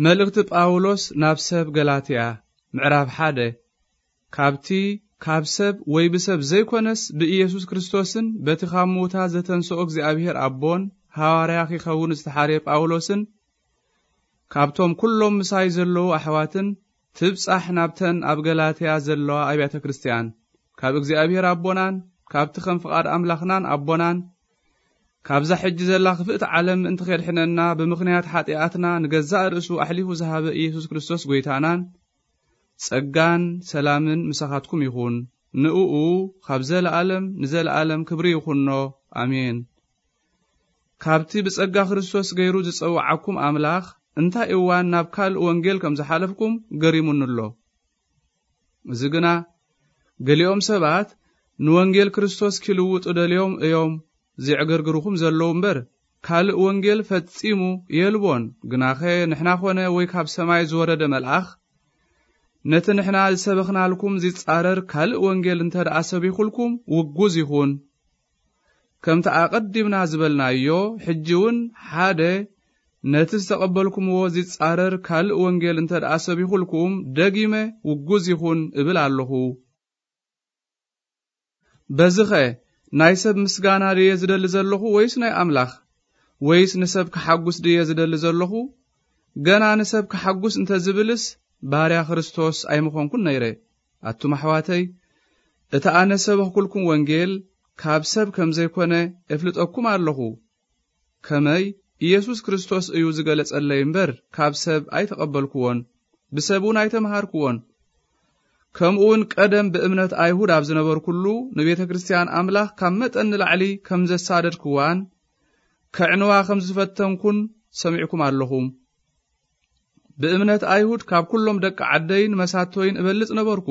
መልእኽቲ ጳውሎስ ናብ ሰብ ገላትያ፣ ምዕራፍ ሓደ። ካብቲ ካብ ሰብ ወይ ብሰብ ዘይኮነስ ብኢየሱስ ክርስቶስን በቲ ካብ ምዉታት ዘተንስኦ እግዚኣብሔር ኣቦን ሃዋርያ ኺኸውን ዝተሓርየ ጳውሎስን ካብቶም ኩሎም ምሳይ ዘለዉ ኣሕዋትን ትብጻሕ ናብተን ኣብ ገላትያ ዘለዋ ኣብያተ ክርስትያን፣ ካብ እግዚኣብሔር ኣቦናን ካብቲ ከም ፍቓድ ኣምላኽናን ኣቦናን ካብዛ ሕጂ ዘላ ክፍእቲ ዓለም ምእንቲ ኬድሕነና ብምኽንያት ሓጢኣትና ንገዛእ ርእሱ ኣሕሊፉ ዝሃበ ኢየሱስ ክርስቶስ ጐይታናን፣ ጸጋን ሰላምን ምሳኻትኩም ይኹን። ንእኡ ካብ ዘለኣለም ንዘለኣለም ክብሪ ይኹኖ። ኣሜን። ካብቲ ብጸጋ ክርስቶስ ገይሩ ዝጸውዓኩም ኣምላኽ እንታይ እዋን ናብ ካልእ ወንጌል ከም ዝሓለፍኩም ገሪሙኒ ኣሎ። እዚ ግና ገሊኦም ሰባት ንወንጌል ክርስቶስ ኪልውጡ ደልዮም እዮም ዜዕገርግሩኹም ዘለዉ እምበር፣ ካልእ ወንጌል ፈጺሙ የልቦን። ግናኸ ንሕና ኾነ ወይ ካብ ሰማይ ዝወረደ መልኣኽ ነቲ ንሕና ዝሰበኽናልኩም ዚጻረር ካልእ ወንጌል እንተ ደኣ ሰቢኹልኩም ውጉዝ ይኹን። ከምቲ ኣቐዲምና ዝበልናዮ፣ ሕጂ እውን ሓደ ነቲ ዝተቐበልኩምዎ ዚጻረር ካልእ ወንጌል እንተ ደኣ ሰቢኹልኩም፣ ደጊመ ውጉዝ ይኹን እብል ኣለኹ። በዝኸ ናይ ሰብ ምስጋና ድየ ዝደሊ ዘለኹ ወይስ ናይ ኣምላኽ? ወይስ ንሰብ ክሓጉስ ድየ ዝደሊ ዘለኹ? ገና ንሰብ ክሓጉስ እንተ ዝብልስ፣ ባርያ ክርስቶስ ኣይምኾንኩን ነይረ። ኣቱም ኣሕዋተይ፣ እቲ ኣነ ሰበኽኩልኩም ወንጌል ካብ ሰብ ከም ዘይኮነ እፍልጠኩም ኣለኹ። ከመይ ኢየሱስ ክርስቶስ እዩ ዝገለጸለይ እምበር፣ ካብ ሰብ ኣይተቐበልኩዎን፣ ብሰብ እውን ኣይተምሃርኩዎን። ከምኡ እውን ቀደም ብእምነት ኣይሁድ ኣብ ዝነበርኩሉ፣ ንቤተ ክርስትያን ኣምላኽ ካብ መጠን ንላዕሊ ከም ዘሳደድክዋን፣ ከዕንዋ ከም ዝፈተንኩን ሰሚዕኩም ኣለኹም። ብእምነት ኣይሁድ ካብ ኩሎም ደቂ ዓደይን መሳቶይን እበልጽ ነበርኩ።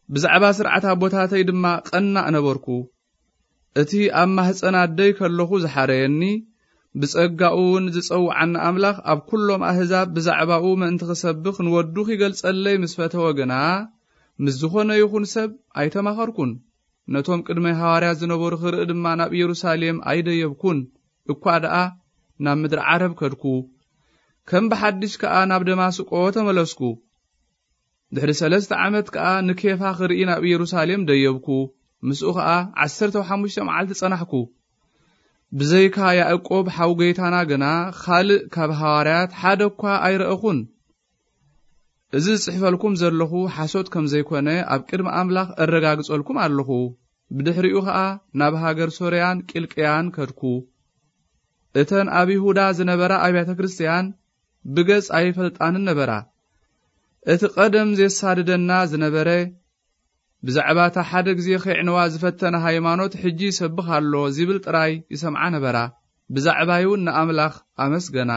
ብዛዕባ ስርዓት ኣቦታተይ ድማ ቀናእ ነበርኩ። እቲ ኣብ ማህጸን ኣደይ ከለኹ ዝሓረየኒ፣ ብጸጋኡ እውን ዝጸውዓኒ ኣምላኽ ኣብ ኩሎም ኣህዛብ ብዛዕባኡ ምእንቲ ክሰብኽ ንወዱ ኺገልጸለይ ምስ ፈተወ ግና፣ ምስ ዝኾነ ይኹን ሰብ ኣይተማኸርኩን። ነቶም ቅድመይ ሃዋርያት ዝነበሩ ክርኢ ድማ ናብ ኢየሩሳሌም ኣይደየብኩን፣ እኳ ደኣ ናብ ምድሪ ዓረብ ከድኩ። ከም ብሓድሽ ከኣ ናብ ደማስቆ ተመለስኩ። ድሕሪ ሰለስተ ዓመት ከኣ ንኬፋ ክርኢ ናብ ኢየሩሳሌም ደየብኩ። ምስኡ ኸኣ ዓሰርተ ሓሙሽተ መዓልቲ ጸናሕኩ። ብዘይካ ያዕቆብ ሓው ጐይታና ግና፣ ኻልእ ካብ ሃዋርያት ሓደ እኳ ኣይረእኹን። እዚ ዝጽሕፈልኩም ዘለኹ ሓሶት ከም ዘይኮነ ኣብ ቅድሚ ኣምላኽ እረጋግጸልኩም ኣለኹ። ብድሕሪኡ ኸኣ ናብ ሃገር ሶርያን ቂልቅያን ከድኩ። እተን ኣብ ይሁዳ ዝነበራ ኣብያተ ክርስትያን ብገጽ ኣይፈልጣንን ነበራ። እቲ ቀደም ዜሳድደና ዝነበረ፣ ብዛዕባ እታ ሓደ ግዜ ኼዕንዋ ዝፈተነ ሃይማኖት ሕጂ ይሰብኽ ኣሎ ዚብል ጥራይ ይሰምዓ ነበራ። ብዛዕባይ እውን ንኣምላኽ ኣመስገና።